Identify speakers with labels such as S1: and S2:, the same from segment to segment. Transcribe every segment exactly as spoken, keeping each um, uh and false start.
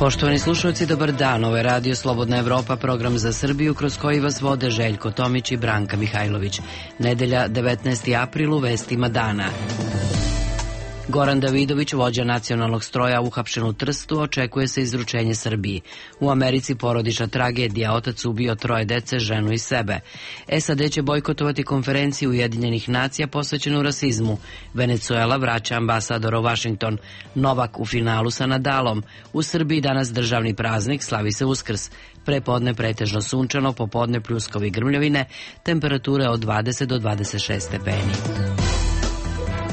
S1: Poštovani slušalci, dobar dan. Ovo je Radio Slobodna Evropa, program za Srbiju kroz koji vas vode Željko Tomić i Branka Mihajlović. Nedelja, devetnaesti april, u vestima dana. Goran Davidović, vođa nacionalnog stroja, uhapšen u Trstu, očekuje se izručenje Srbiji. U Americi porodična tragedija, otac ubio troje dece, ženu i sebe. S A D će bojkotovati konferenciju Ujedinjenih nacija posvećenu rasizmu. Venezuela vraća ambasadora u Vašington. Novak u finalu sa Nadalom. U Srbiji danas državni praznik, slavi se Uskrs. Prepodne pretežno sunčano, popodne pljuskovi grmljavine, temperature od dvadeset do dvadeset šest stepeni.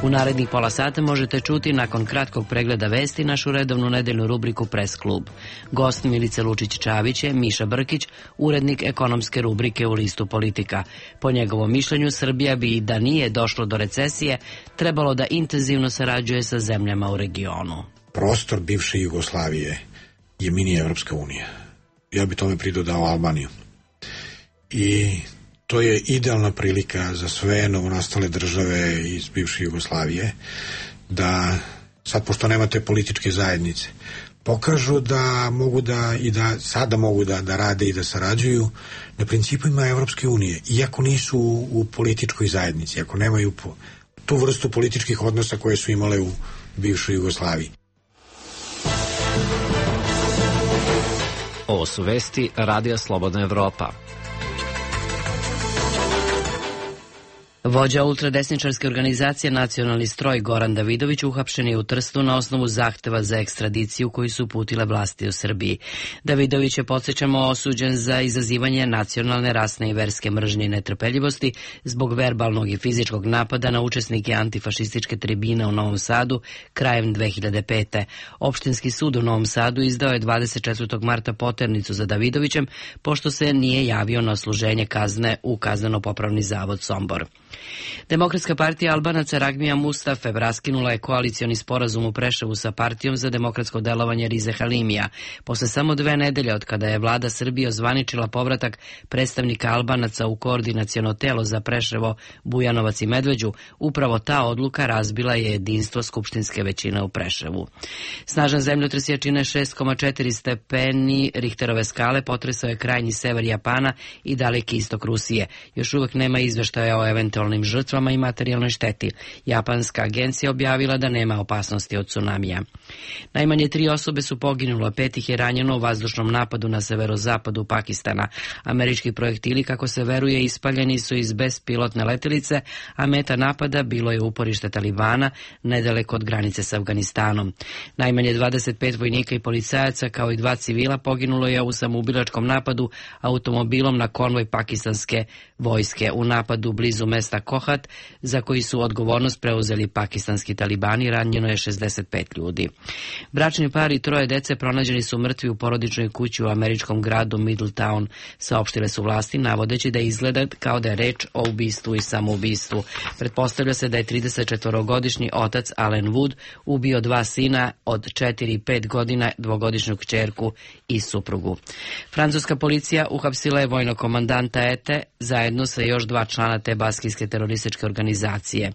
S1: U narednih pola sata možete čuti, nakon kratkog pregleda vesti, našu redovnu nedeljnu rubriku Press klub. Gost Milice Lučić-Čavić je Miša Brkić, urednik ekonomske rubrike u listu Politika. Po njegovom mišljenju, Srbija bi, i da nije došlo do recesije, trebalo da intenzivno sarađuje sa zemljama u regionu.
S2: Prostor bivše Jugoslavije je mini Evropska unija. Ja bi tome pridodao Albaniju. I to je idealna prilika za sve novonastale države iz bivše Jugoslavije da, sad pošto nemate političke zajednice, pokažu da mogu da, i da sada mogu da, da rade i da sarađuju na principima Evropske unije, iako nisu u, u političkoj zajednici, ako nemaju po, tu vrstu političkih odnosa koje su imale u bivšoj Jugoslaviji.
S3: Ovo su vesti Radija Slobodna Evropa.
S1: Vođa ultradesničarske organizacije Nacionalni stroj Goran Davidović uhapšen je u Trstu na osnovu zahteva za ekstradiciju koji su uputile vlasti u Srbiji. Davidović je, podsjećamo, osuđen za izazivanje nacionalne, rasne i verske mržnje i netrpeljivosti zbog verbalnog i fizičkog napada na učesnike antifašističke tribine u Novom Sadu krajem dve hiljade pete. Opštinski sud u Novom Sadu izdao je dvadeset četvrtog marta poternicu za Davidovićem, pošto se nije javio na odsluženje kazne u Kazneno-popravni zavod Sombor. Demokratska partija Albanaca Ragmija Mustafe raskinula je koalicioni sporazum u Preševu sa partijom za demokratsko delovanje Rize Halimija. Posle samo dve nedelje od kada je vlada Srbije ozvaničila povratak predstavnika Albanaca u koordinaciono telo za Preševo, Bujanovac i Medveđu, upravo ta odluka razbila je jedinstvo skupštinske većine u Preševu. Snažan zemljotres jačine šest zarez četiri stepeni Richterove skale potresao je krajnji sever Japana i daleki istok Rusije. Još uvek nema izveštaja o eventualnim žrtvama i materijalnoj šteti. Japanska agencija objavila da nema opasnosti od tsunamija. Najmanje tri osobe su poginule, pet ih je ranjeno u vazdušnom napadu na severozapadu Pakistana. Američki projektili, kako se veruje, ispaljeni su iz bespilotne letelice, a meta napada bilo je uporište Talibana nedaleko od granice s Afganistanom. Najmanje dvadeset pet vojnika i policajaca kao i dva civila poginulo je u samoubilačkom napadu automobilom na konvoj pakistanske vojske u napadu blizu mesta Kohat, za koji su odgovornost preuzeli pakistanski talibani. Ranjeno je šezdeset pet ljudi. Bračni par i troje dece pronađeni su mrtvi u porodičnoj kući u američkom gradu Middletown, saopštile su vlasti, navodeći da izgleda kao da je reč o ubistvu i samoubistvu. Pretpostavlja se da je tridesetčetvorogodišnji otac Allen Wood ubio dva sina od četiri i pet godina, dvogodišnju kćerku i suprugu. Francuska policija uhapsila je vojnog komandanta E T E zajedno sa još dva člana te baskijske terorističke organizacije.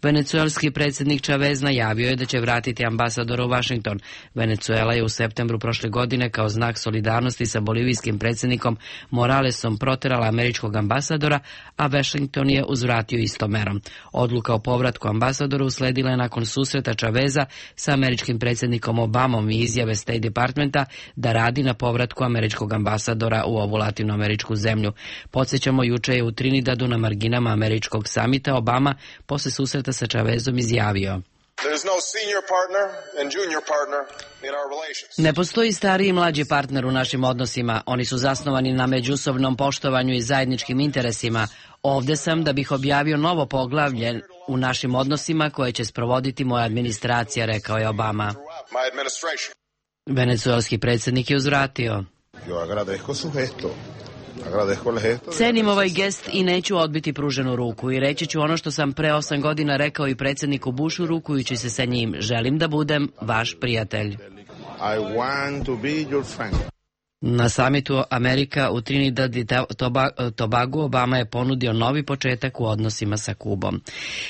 S1: Venecuelski predsjednik Chavez najavio je da će vratiti ambasadora u Vašington. Venecuela je u septembru prošle godine kao znak solidarnosti sa bolivijskim predsjednikom Moralesom proterala američkog ambasadora, a Washington je uzvratio istom merom. Odluka o povratku ambasadora usledila je nakon susreta Chaveza sa američkim predsjednikom Obamom i izjave State Departmenta da radi na povratku američkog ambasadora u ovu latinoameričku zemlju. Podsjećamo, juče je u Trinidadu na marginama američkog samita Obama posle susreta sa Chavezom izjavio: ne postoji stariji i mlađi partner u našim odnosima. Oni su zasnovani na međusobnom poštovanju i zajedničkim interesima. Ovde sam da bih objavio novo poglavlje u našim odnosima koje će sprovoditi moja administracija, rekao je Obama. Venecuelski predsjednik je uzvratio: cenim ovaj gest i neću odbiti pruženu ruku i reći ću ono što sam pre osam godina rekao i predsjedniku Bushu rukujući se sa njim: želim da budem vaš prijatelj. Na samitu Amerika u Trinidad i Tobagu Obama je ponudio novi početak u odnosima sa Kubom.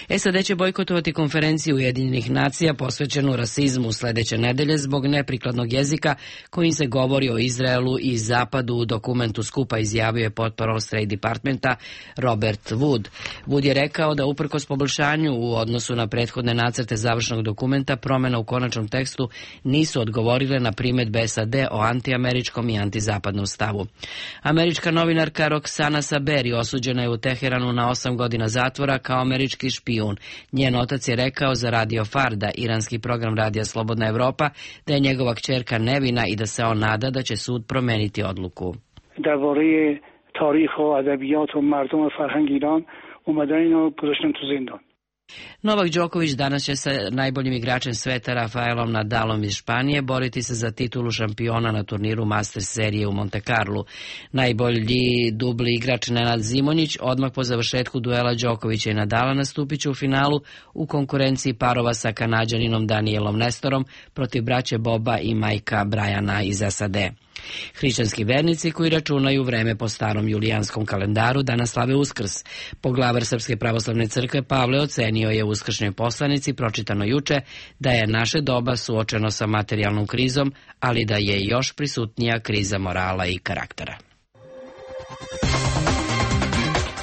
S1: S A D će bojkotovati konferenciju Ujedinjenih nacija posvećenu rasizmu sledeće nedelje zbog neprikladnog jezika kojim se govori o Izraelu i Zapadu. U dokumentu skupa izjavio je potporol State Departmenta Robert Wood. Wood je rekao da uprkos poboljšanju u odnosu na prethodne nacrte završnog dokumenta, promjena u konačnom tekstu nisu odgovorile na primedbe S A D o antiameričkom i antizapadnom stavu. Američka novinarka Roxana Saberi osuđena je u Teheranu na osam godina zatvora kao američki špijun. Njen otac je rekao za Radio Farda, iranski program Radija Slobodna Evropa, da je njegova kćerka nevina i da se on nada da će sud promeniti odluku.
S4: درباره تاریخ و ادبیات و مردم فرهنگ ایران اومدن اینو گذاشتن تو زندان.
S1: Novak Đoković danas će sa najboljim igračem sveta Rafaelom Nadalom iz Španije boriti se za titulu šampiona na turniru Masters serije u Monte Carlu. Najbolji dubli igrač Nenad Zimonjić odmah po završetku duela Đokovića i Nadala nastupit će u finalu u konkurenciji parova sa Kanađaninom Danielom Nestorom protiv braće Boba i majka Brajana iz S A D. Hrišćanski vernici koji računaju vreme po starom julijanskom kalendaru danas slave Uskrs. Poglavar Srpske pravoslavne crkve Pavle ocenio je u uskršnjoj poslanici pročitano juče da je naše doba suočeno sa materijalnom krizom, ali da je još prisutnija kriza morala i karaktera.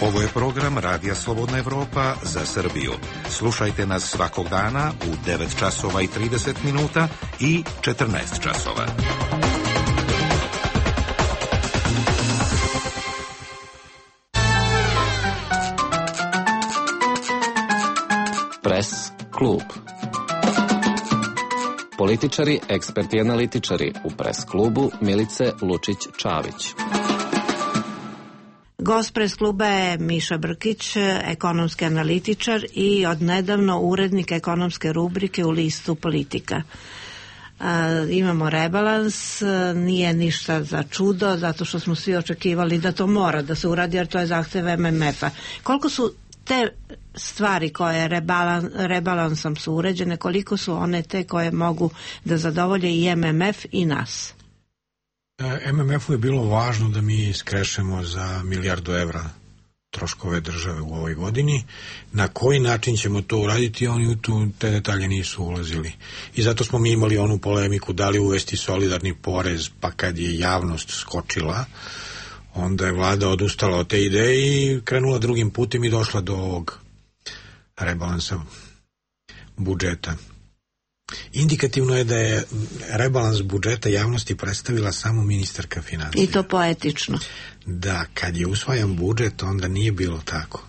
S5: Ovo je program Radija Slobodna Evropa za Srbiju. Slušajte nas svakog dana u devet časova i trideset minuta i četrnaest časova.
S3: Pres klub. Političari, eksperti i analitičari u Pres klubu Milice Lučić-Čavić.
S6: Gost Pres kluba je Miša Brkić, ekonomski analitičar i odnedavno urednik ekonomske rubrike u listu Politika. Uh, imamo rebalans, nije ništa za čudo, zato što smo svi očekivali da to mora da se uradi, jer to je zahtev M M F-a. Koliko su te stvari koje rebalans, rebalansom su uređene, koliko su one te koje mogu da zadovolje i M M F i nas?
S2: M M F-u je bilo važno da mi skrešemo za milijardu evra troškove države u ovoj godini. Na koji način ćemo to uraditi, oni u tu, te detalje nisu ulazili. I zato smo mi imali onu polemiku da li uvesti solidarni porez, pa kad je javnost skočila, onda je vlada odustala od te ideje i krenula drugim putem i došla do ovog rebalansa budžeta. Indikativno je da je rebalans budžeta javnosti predstavila samo ministarka financija.
S6: I to poetično.
S2: Da, kad je usvajan budžet, onda nije bilo tako.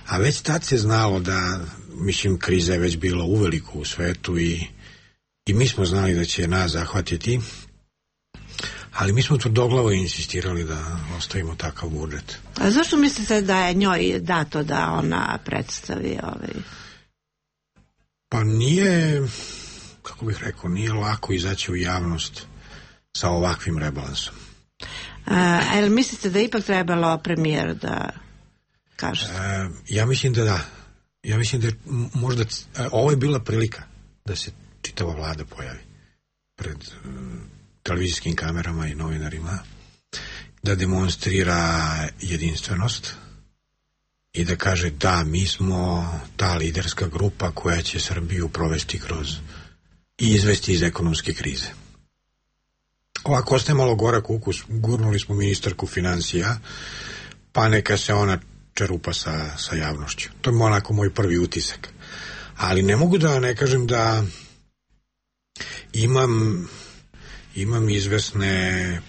S2: A već tad se znalo da, mislim, kriza je već bila uveliko u svetu i, i mi smo znali da će nas zahvatiti, ali mi smo tvrdoglavo insistirali da ostavimo takav budžet.
S6: A zašto mislite da je njoj dato da ona predstavi ovaj...
S2: Pa nije, kako bih rekao, nije lako izaći u javnost sa ovakvim rebalansom.
S6: A, ali mislite da ipak trebalo premijer da kaže?
S2: A, ja mislim da da. Ja mislim da je možda, a, ovo je bila prilika da se čitava vlada pojavi pred uh, televizijskim kamerama i novinarima, da demonstrira jedinstvenost i da kaže da, mi smo ta liderska grupa koja će Srbiju provesti kroz i izvesti iz ekonomske krize. Ovako ostaje malo gorak ukus, gurnuli smo ministarku financija, pa neka se ona čerupa sa, sa javnošću. To je onako moj prvi utisak. Ali ne mogu da ne kažem da imam, imam izvesne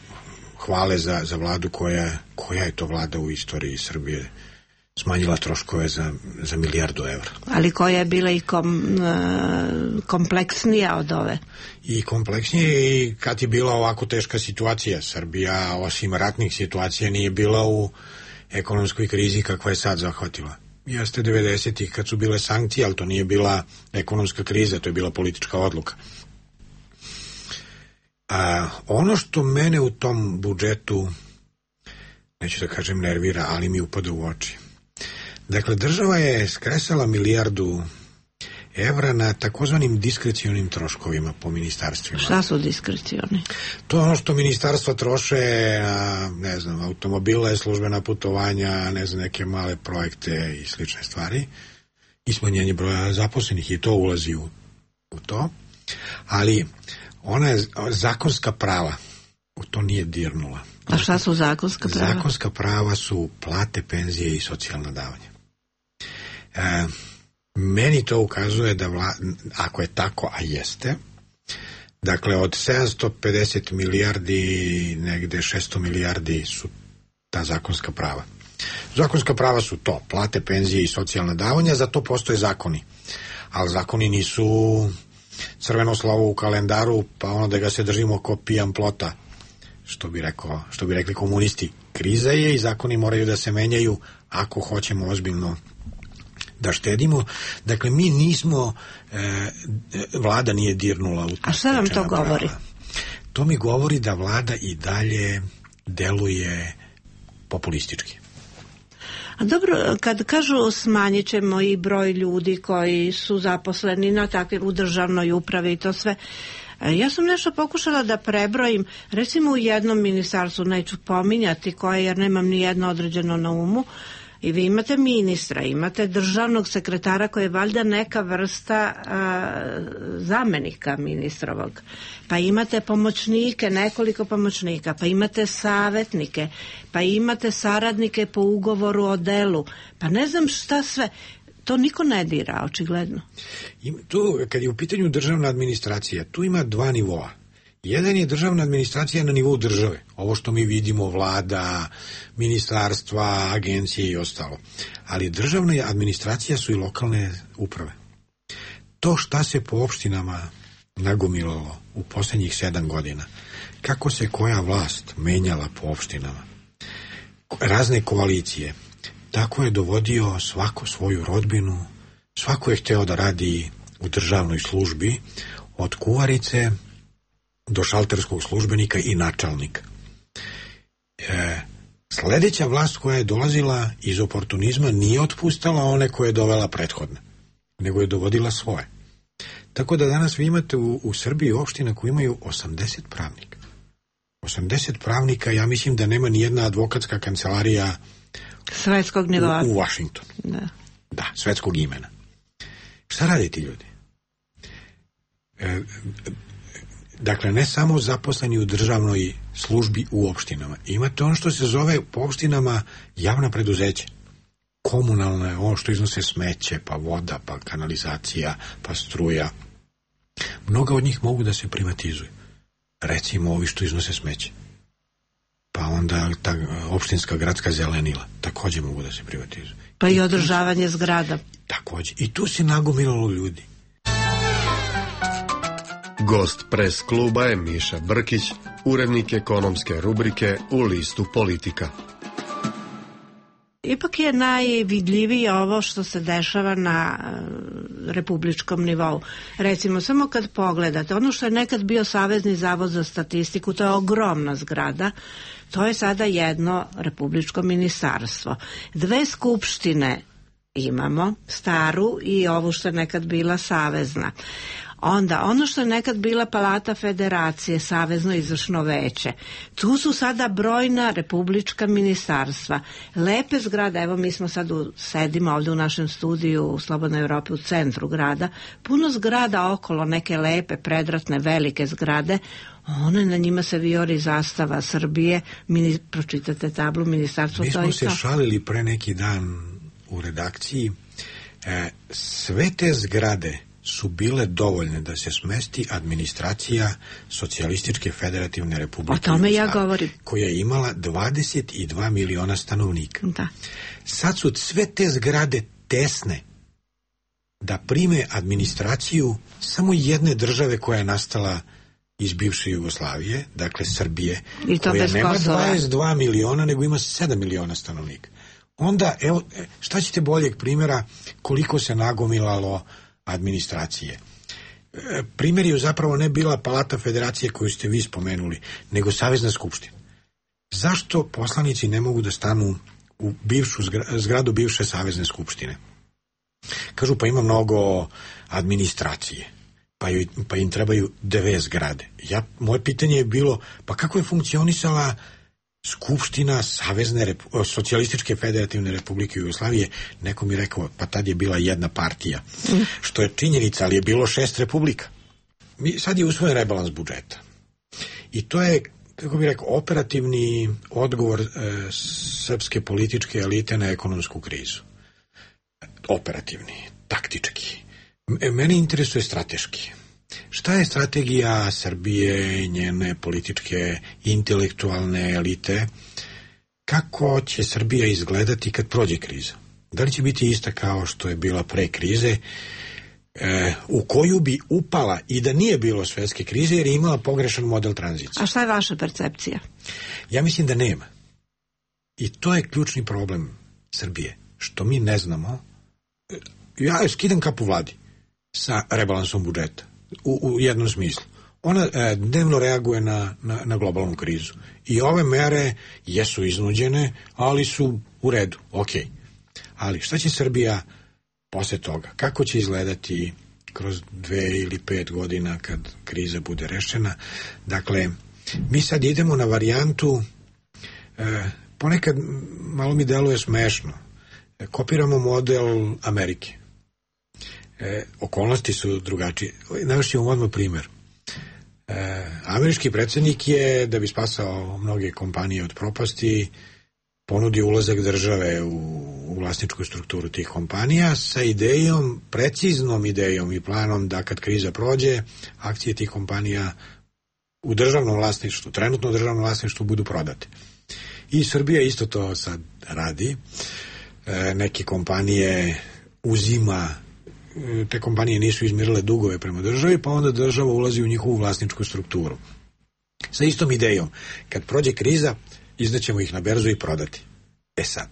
S2: hvale za, za vladu koja, koja je to vlada u istoriji Srbije smanjila troškove za, za milijardu evra.
S6: Ali koja je bila i kom, kompleksnija od ove?
S2: I kompleksnije, i kad je bila ovako teška situacija. Srbija, osim ratnih situacija, nije bila u ekonomskoj krizi kakva je sad zahvatila. Jeste devedesetih kad su bile sankcije, ali to nije bila ekonomska kriza, to je bila politička odluka. A, ono što mene u tom budžetu, neću da kažem nervira, ali mi upada u oči. Dakle, država je skresala milijardu evra na takozvanim diskrecionim troškovima po ministarstvima.
S6: Šta su diskrecioni?
S2: To je ono što ministarstva troše na, ne znam, automobile, službena putovanja, ne znam, neke male projekte i slične stvari i smanjenje broja zaposlenih i to ulazi u, u to. Ali ona je zakonska prava u to nije dirnula.
S6: A šta su zakonska prava?
S2: Zakonska prava su plate, penzije i socijalna davanja. E, meni to ukazuje da vla, ako je tako, a jeste, dakle od sedamsto pedeset milijardi negde šesto milijardi su ta zakonska prava. Zakonska prava su to, plate, penzije i socijalna davanja, za to postoje zakoni. Ali zakoni nisu crveno slovo u kalendaru, pa ono da ga se držimo ko pijan plota, što bi rekao, što bi rekli komunisti. Kriza je i zakoni moraju da se menjaju ako hoćemo ozbiljno da štedimo. Dakle, mi nismo, e, vlada nije dirnula u to.
S6: A šta vam to govori?
S2: Prava. To mi govori da vlada i dalje deluje populistički.
S6: A dobro, kad kažu smanjit ćemo i broj ljudi koji su zaposleni na takvim, u državnoj upravi i to sve, ja sam nešto pokušala da prebrojim, recimo u jednom ministarstvu, neću pominjati koje jer nemam ni jedno određeno na umu, i vi imate ministra, imate državnog sekretara koji je valjda neka vrsta a, zamenika ministrovog, pa imate pomoćnike, nekoliko pomoćnika, pa imate savjetnike, pa imate saradnike po ugovoru o delu, pa ne znam šta sve. To niko ne dira, očigledno.
S2: Tu, kad je u pitanju državna administracija, tu ima dva nivoa. Jedan je državna administracija na nivou države. Ovo što mi vidimo, vlada, ministarstva, agencije i ostalo. Ali državna administracija su i lokalne uprave. To šta se po opštinama nagomilalo u posljednjih sedam godina, kako se koja vlast menjala po opštinama, razne koalicije, tako je dovodio svako svoju rodbinu, svako je hteo da radi u državnoj službi, od kuvarice do šalterskog službenika i načalnika. E, sledeća vlast koja je dolazila iz oportunizma nije otpustala one koje je dovela prethodne, nego je dovodila svoje. Tako da danas vi imate u, u Srbiji opština koji imaju osamdeset pravnika. osamdeset pravnika, ja mislim da nema ni jedna advokatska kancelarija
S6: svetskog nivoa
S2: u, u Vašingtonu.
S6: Da.
S2: Da, svetskog imena. Šta radi ti ljudi? E, dakle, ne samo zaposleni u državnoj službi u opštinama. Imate ono što se zove po opštinama javna preduzeća. Komunalna je ono što iznose smeće, pa voda, pa kanalizacija, pa struja. Mnoga od njih mogu da se privatizuju. Recimo ovi što iznose smeće. Pa onda ta opštinska gradska zelenila također mogu da se privatizuju.
S6: Pa i održavanje zgrada.
S2: Također. I tu se nagomilalo ljudi.
S7: Gost pres kluba je Miša Brkić, urednik ekonomske rubrike u listu Politika.
S6: Ipak je najvidljivije ovo što se dešava na republičkom nivou. Recimo, samo kad pogledate, ono što je nekad bio Savezni zavod za statistiku, to je ogromna zgrada, to je sada jedno republičko ministarstvo. Dve skupštine imamo, staru i ovu što je nekad bila savezna. Onda, ono što je nekad bila Palata Federacije, Savezno izvršno veće, tu su sada brojna republička ministarstva. Lepe zgrade, evo mi smo sad u, sedimo ovdje u našem studiju u Slobodnoj Evropi u centru grada, puno zgrada okolo, neke lepe, predratne, velike zgrade, one na njima se vijori zastava Srbije, mini, pročitate tablu ministarstva.
S2: Mi smo se šalili pre neki dan u redakciji, e, sve te zgrade su bile dovoljne da se smesti administracija Socijalističke federativne republike.
S6: O tome ja govorim.
S2: Koja je imala dvadeset dva miliona stanovnika.
S6: Da.
S2: Sad su sve te zgrade tesne da prime administraciju samo jedne države koja je nastala iz bivše Jugoslavije, dakle Srbije, koja nema dvadeset dva miliona, nego ima sedam miliona stanovnika. Onda, evo, šta ćete boljeg primjera koliko se nagomilalo administracije. Primjer je zapravo ne bila Palata Federacije koju ste vi spomenuli, nego Savezna skupština. Zašto poslanici ne mogu da stanu u bivšu zgradu bivše Savezne skupštine? Kažu pa ima mnogo administracije, pa, ju, pa im trebaju dve zgrade. Ja, moje pitanje je bilo, pa kako je funkcionisala Skupština Savezne Repu- socijalističke federativne republike Jugoslavije? Neko mi rekao, pa tad je bila jedna partija, što je činjenica, ali je bilo šest republika. Mi, sad je usvojen rebalans budžeta. I to je, kako bih rekao, operativni odgovor e, srpske političke elite na ekonomsku krizu. Operativni, taktički. M- mene interesuje strateški. Šta je strategija Srbije, njene političke, intelektualne elite? Kako će Srbija izgledati kad prođe kriza? Da li će biti ista kao što je bila pre krize, e, u koju bi upala i da nije bilo svetske krize jer je imala pogrešan model tranzicije?
S6: A šta je vaša percepcija?
S2: Ja mislim da nema. I to je ključni problem Srbije, što mi ne znamo. Ja skidam kapu vladi sa rebalansom budžeta. U, u jednom smislu. Ona e, dnevno reaguje na, na, na globalnu krizu. I ove mere jesu iznuđene, ali su u redu, ok. Ali šta će Srbija posle toga? Kako će izgledati kroz dve ili pet godina kad kriza bude rešena? Dakle, mi sad idemo na varijantu, e, ponekad malo mi deluje smešno, e, kopiramo model Amerike. E, okolnosti su drugačije. Navešćemo odmah primjer. E, američki predsjednik je, da bi spasao mnoge kompanije od propasti, ponudio ulazak države u, u vlasničku strukturu tih kompanija sa idejom, preciznom idejom i planom da kad kriza prođe, akcije tih kompanija u državnom vlasništvu, trenutno državnom vlasništvu budu prodate. I Srbija isto to sad radi. E, neke kompanije uzima, te kompanije nisu izmirile dugove prema državi, pa onda država ulazi u njihovu vlasničku strukturu. Sa istom idejom, kad prođe kriza, izdaćemo ih na berzu i prodati. E sad,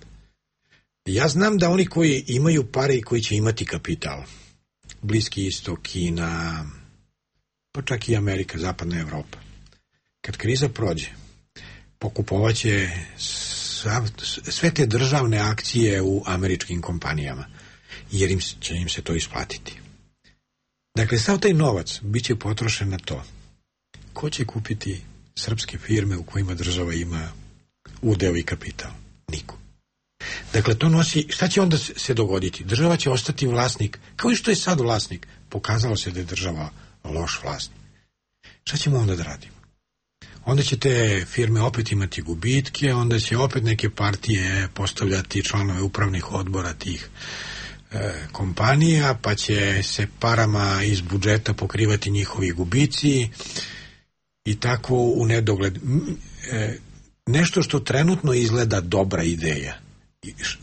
S2: ja znam da oni koji imaju pare i koji će imati kapital, Bliski istok, Kina, pa čak i Amerika, Zapadna Evropa, kad kriza prođe, pokupovaće sve te državne akcije u američkim kompanijama, jer im će im se to isplatiti. Dakle, sav taj novac bit će potrošen na to. Ko će kupiti srpske firme u kojima država ima udeo i kapital? Niko. Dakle, to nosi, šta će onda se dogoditi? Država će ostati vlasnik, kao i što je sad vlasnik. Pokazalo se da je država loš vlasnik. Šta ćemo onda da radimo? Onda će te firme opet imati gubitke, onda će opet neke partije postavljati članove upravnih odbora tih kompanija, pa će se parama iz budžeta pokrivati njihovi gubici i tako u nedogled. Nešto što trenutno izgleda dobra ideja,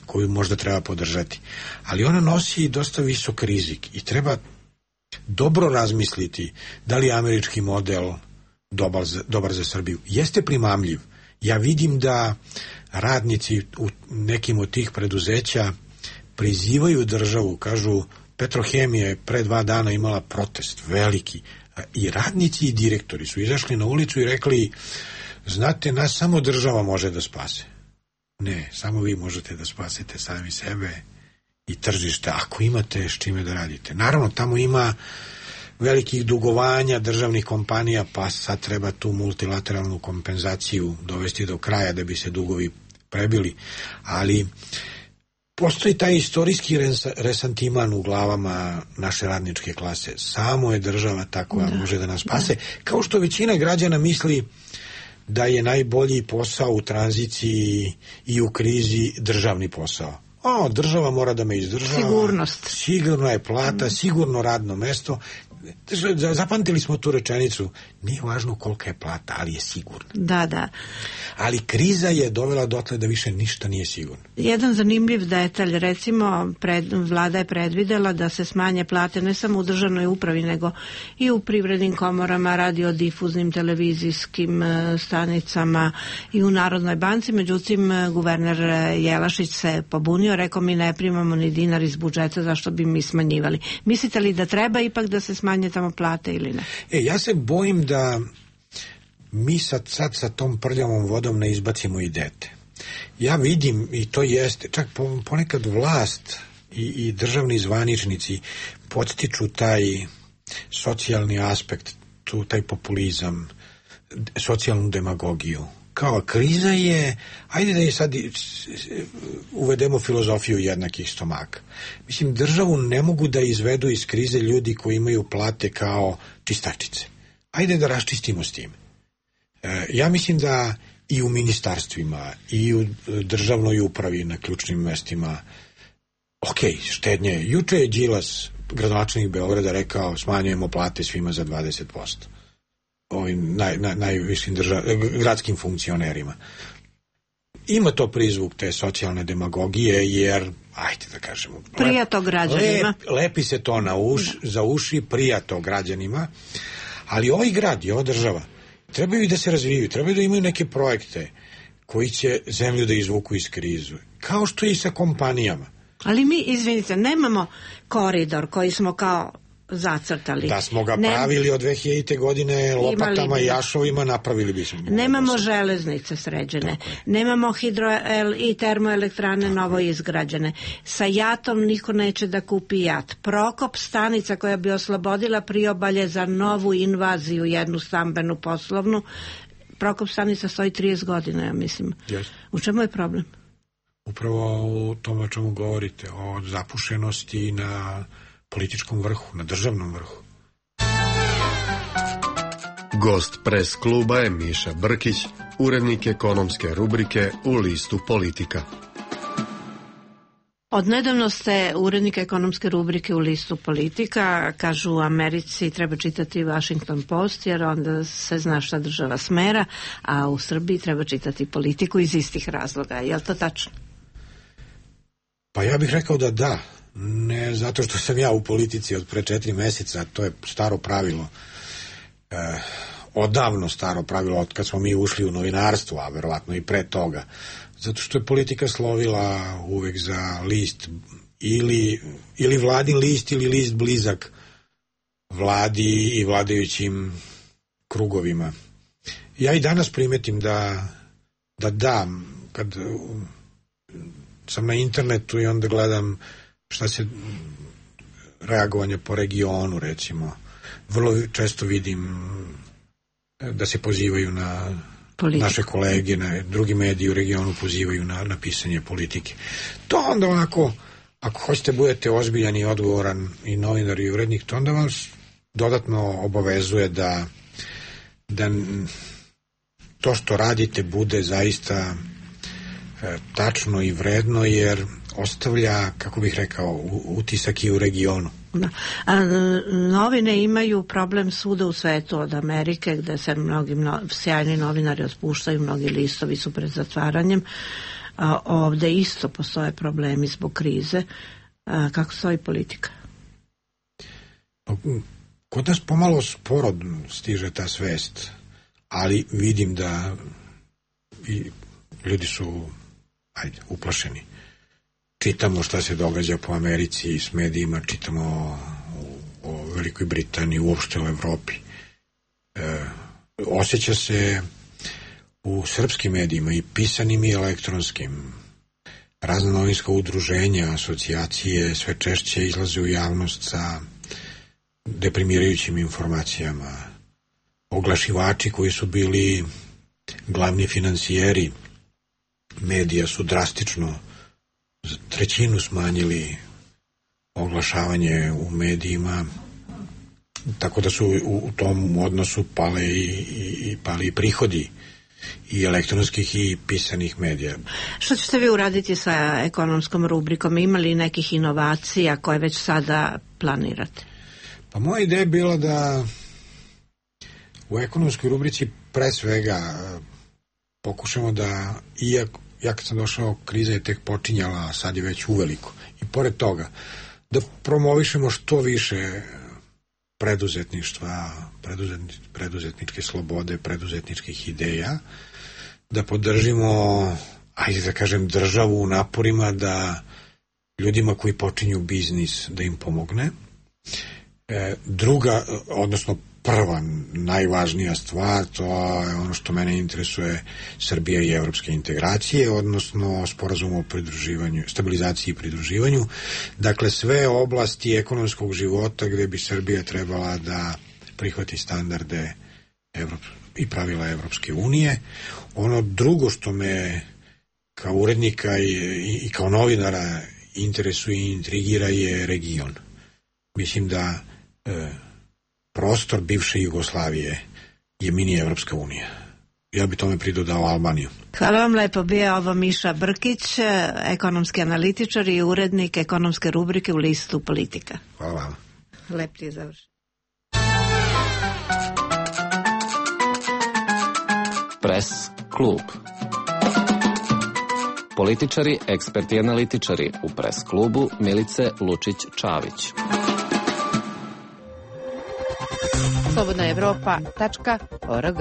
S2: koju možda treba podržati, ali ona nosi dosta visok rizik i treba dobro razmisliti da li je američki model dobar za, dobar za Srbiju. Jeste primamljiv. Ja vidim da radnici u nekim od tih preduzeća prizivaju državu, kažu Petrohemija je pre dva dana imala protest veliki i radnici i direktori su izašli na ulicu i rekli, znate, nas samo država može da spase. Ne, samo vi možete da spasete sami sebe i tržište, ako imate s čime da radite. Naravno, tamo ima velikih dugovanja državnih kompanija, pa sad treba tu multilateralnu kompenzaciju dovesti do kraja da bi se dugovi prebili, ali postoji taj istorijski resantiman u glavama naše radničke klase. Samo je država ta koja da. može da nas spase. Kao što većina građana misli da je najbolji posao u tranziciji i u krizi državni posao. O, država mora da me izdržava.
S6: Sigurnost.
S2: Sigurno je plata, sigurno radno mesto. Zapamtili smo tu rečenicu, nije važno kolika je plata, ali je sigurna.
S6: Da, da.
S2: Ali kriza je dovela dotle da više ništa nije sigurno.
S6: Jedan zanimljiv detalj, recimo, pred, vlada je predvidela da se smanje plate ne samo u državnoj upravi, nego i u privrednim komorama, radiodifuznim, televizijskim stanicama i u Narodnoj banci. Međutim, guverner Jelašić se pobunio, rekao mi ne primamo ni dinar iz budžeta, zašto bi mi smanjivali. Mislite li da treba ipak da se smanje tamo plate ili ne?
S2: E, ja se bojim da mi sad, sad sa tom prljavom vodom ne izbacimo i dete. Ja vidim, i to jeste, čak ponekad vlast i, i državni zvaničnici podstiču taj socijalni aspekt, tu, taj populizam, socijalnu demagogiju. Kao kriza je, ajde da je sad uvedemo filozofiju jednakih stomaka. Mislim, državu ne mogu da izvedu iz krize ljudi koji imaju plate kao čistačice. Ajde da raščistimo s tim. E, ja mislim da i u ministarstvima, i u državnoj upravi na ključnim mestima, ok, štednje. Juče je Đilas, gradonačelnik Beograda, rekao smanjujemo plate svima za dvadeset posto. Ovim naj, naj, najvišim držav, gradskim funkcionerima. Ima to prizvuk te socijalne demagogije, jer, ajde da kažemo,
S6: prija to građanima.
S2: Lep, lepi se to na uš, za uši, prija to građanima, ali ovaj grad i ova država trebaju i da se razvijaju, trebaju da imaju neke projekte koji će zemlju da izvuku iz krizu. Kao što je i sa kompanijama.
S6: Ali mi, izvinite, nemamo koridor koji smo kao zacrtali.
S2: Da smo ga
S6: ne,
S2: pravili od dve hiljadite godine lopatama i jašovima, napravili bismo.
S6: Nemamo železnice sređene, nemamo hidro i termoelektrane novo izgrađene. Sa jatom niko neće da kupi jat. Prokop stanica koja bi oslobodila priobalje za novu invaziju, jednu stambenu poslovnu. Prokop stanica stoji trideset godina, ja mislim.
S2: Yes.
S6: U čemu je problem?
S2: Upravo u tome o čemu govorite, o zapušenosti na političkom vrhu, na državnom vrhu.
S7: Gost Pres kluba je Miša Brkić, urednik ekonomske rubrike u listu Politika.
S6: Odnedavno ste urednik ekonomske rubrike u listu Politika. Kažu u Americi treba čitati Washington Post jer onda se zna šta država smera, a u Srbiji treba čitati Politiku iz istih razloga. Je li to tačno?
S2: Pa ja bih rekao da da. Ne zato što sam ja u politici od pre četiri meseca, to je staro pravilo. E, odavno staro pravilo od kad smo mi ušli u novinarstvo, a verovatno i pre toga. Zato što je politika slovila uvek za list ili, ili vladin list ili list blizak vladi i vladajućim krugovima. Ja i danas primetim da da dam, kad sam na internetu i onda gledam šta se reagovanje po regionu, recimo. Vrlo često vidim da se pozivaju na politiku. Naše kolege, na drugi mediji u regionu pozivaju na, na pisanje politike. To onda onako, ako hoćete budete ozbiljan i odgovoran i novinar i urednik, to onda vas dodatno obavezuje da, da to što radite bude zaista e, tačno i vredno, jer ostavlja, kako bih rekao, utisak i u regionu.
S6: Da. A, novine imaju problem svuda u svetu, od Amerike gde se mnogi no, sjajni novinari otpuštaju, mnogi listovi su pred zatvaranjem. A, ovde isto postoje problemi zbog krize. A, kako stoji politika?
S2: Kod nas pomalo sporo stiže ta svest, ali vidim da i ljudi su ajde, uplašeni. Čitamo šta se događa po Americi s medijima, čitamo o, o Velikoj Britaniji, uopšte u Evropi. E, osjeća se u srpskim medijima, i pisanim i elektronskim. Razna novinska udruženja, asocijacije sve češće izlaze u javnost sa deprimirajućim informacijama. Oglašivači koji su bili glavni financijeri medija su drastično za trećinu smanjili oglašavanje u medijima, tako da su u, u tom odnosu pale i, i, pali i prihodi i elektronskih i pisanih medija.
S6: Što ćete vi uraditi sa ekonomskom rubrikom? Ima li nekih inovacija koje već sada planirate?
S2: Pa moja ideja je bila da u ekonomskoj rubrici pre svega pokušamo da, iako ja kad sam došao, kriza je tek počinjala, a sad je već uveliko. I pored toga, da promovišemo što više preduzetništva, preduzetni, preduzetničke slobode, preduzetničkih ideja, da podržimo, ajde da kažem, državu u naporima da ljudima koji počinju biznis da im pomogne. E, druga, odnosno prva, najvažnija stvar, to je ono što mene interesuje, Srbija i evropske integracije, odnosno sporazum o pridruživanju, stabilizaciji i pridruživanju. Dakle, sve oblasti ekonomskog života gde bi Srbija trebala da prihvati standarde Evrop, i pravila Evropske unije. Ono drugo što me kao urednika i, i, i kao novinara interesuje i intrigira je region. Mislim da e, prostor bivše Jugoslavije je mini Evropska unija. Ja bi tome pridodao Albaniju.
S6: Hvala vam lepo. Bio ovo Miša Brkić, ekonomski analitičar i urednik ekonomske rubrike u listu Politika.
S2: Hvala vam.
S6: Lep ti je završen.
S3: Pres klub. Političari, eksperti i analitičari u Pres klubu Milice Lučić-Čavić.
S8: slobodna evropa tačka org.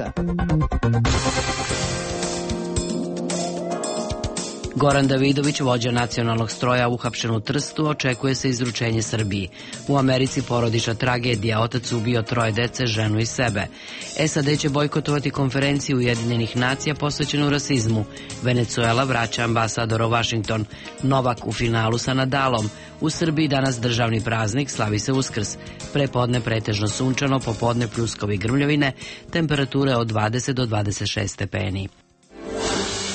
S1: Goran Davidović, vođa nacionalnog stroja uhapšen u Trstu, očekuje se izručenje Srbiji. U Americi porodična tragedija, otac ubio troje dece, ženu i sebe. S A D će bojkotovati konferenciju Ujedinjenih nacija posvećenu rasizmu. Venezuela vraća ambasadora u Vašington. Novak u finalu sa Nadalom. U Srbiji danas državni praznik, slavi se Uskrs. Prepodne pretežno sunčano, popodne pljuskovi grmljavine, temperature od dvadeset do dvadeset šest stepeni.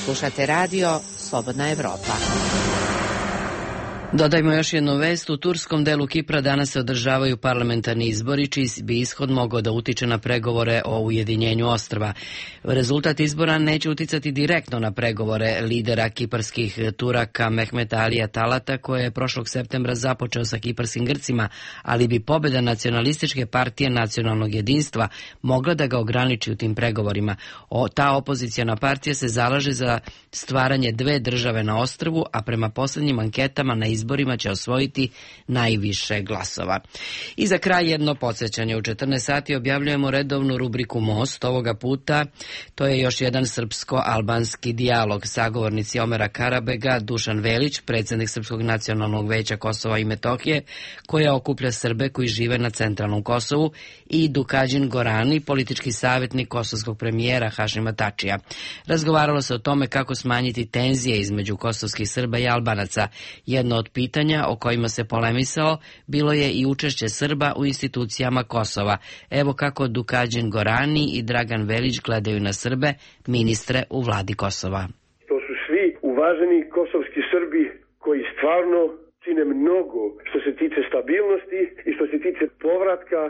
S8: Slušate radio Slobodna Evropa.
S1: Dodajmo još jednu vest. U turskom delu Kipra danas se održavaju parlamentarni izbori, čiji bi ishod mogao da utiče na pregovore o ujedinjenju ostrva. Rezultat izbora neće uticati direktno na pregovore lidera kiparskih Turaka Mehmeta Alija Talata, koje je prošlog septembra započeo sa kiparskim Grcima, ali bi pobjeda nacionalističke partije nacionalnog jedinstva mogla da ga ograniči u tim pregovorima. O, ta opozicijona partija se zalaže za stvaranje dve države na ostrvu, a prema posljednjim anketama na izborima će osvojiti najviše glasova. I za kraj jedno podsjećanje. U četrnaest sati objavljujemo redovnu rubriku Most. Ovoga puta to je još jedan srpsko-albanski dijalog. Sagovornici Omera Karabega, Dušan Velić, predsjednik Srpskog nacionalnog veća Kosova i Metohije, koja okuplja Srbe koji žive na centralnom Kosovu, i Dukađin Gorani, politički savjetnik kosovskog premijera Hašima Tačija. Razgovaralo se o tome kako smanjiti tenzije između kosovskih Srba i Albanaca. Jedno od pitanja o kojima se polemisao bilo je i učešće Srba u institucijama Kosova. Evo kako Dukađin Gorani i Dragan Velić gledaju na Srbe, ministre u vladi Kosova.
S9: To su svi uvaženi kosovski Srbi koji stvarno čine mnogo što se tiče stabilnosti i što se tiče povratka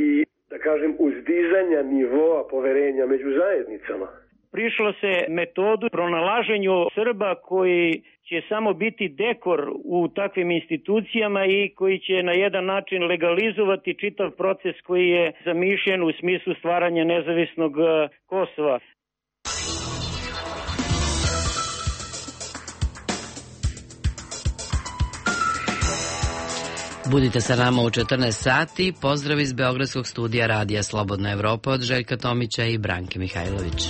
S9: i, da kažem, uzdizanja nivoa poverenja među zajednicama.
S10: Prišlo se metodu pronalaženju Srba koji će samo biti dekor u takvim institucijama i koji će na jedan način legalizovati čitav proces koji je zamišljen u smislu stvaranja nezavisnog Kosova.
S1: Budite sa nama u četrnaest sati. Pozdrav iz Beogradskog studija Radija Slobodna Evropa od Željka Tomića i Branke Mihajlović.